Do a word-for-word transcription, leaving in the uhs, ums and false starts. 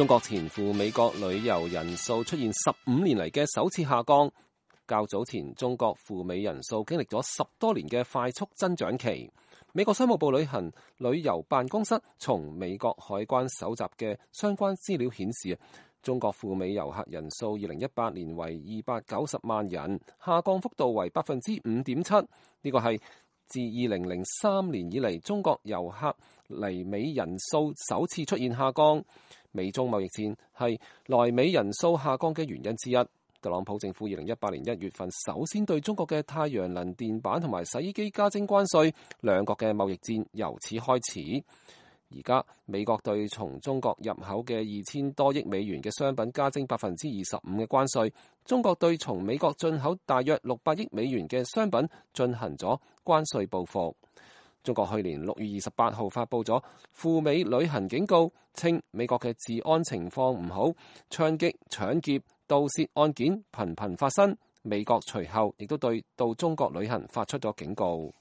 中國前赴美國旅遊人數出現十五年嚟嘅首次下降。較早前，中國赴美人數經歷咗十多年嘅快速增長期。美國商務部旅行旅遊辦公室從美國海關搜集嘅相關資料顯示，中國赴美遊客人數二零一八年為二百九十萬人，下降幅度為百分之五點七。呢個係自二零零三年以嚟中國遊客嚟美人數首次出現下降。美中貿易戰係來美人數下降嘅原因之一。特朗普政府二零一八年一月份首先對中國嘅太陽能電板同埋洗衣機加徵關稅，兩國嘅貿易戰由此開始。而家美國對從中國入口嘅二千多億美元嘅商品加徵百分之二十五嘅關稅，中國對從美國進口大約六百億美元嘅商品進行咗關稅報復。中國去年六月二十八號發布咗赴美旅行警告，稱美國嘅治安情況唔好，槍擊、搶劫、盜竊案件頻頻發生。美國隨後亦都對到中國旅行發出咗警告。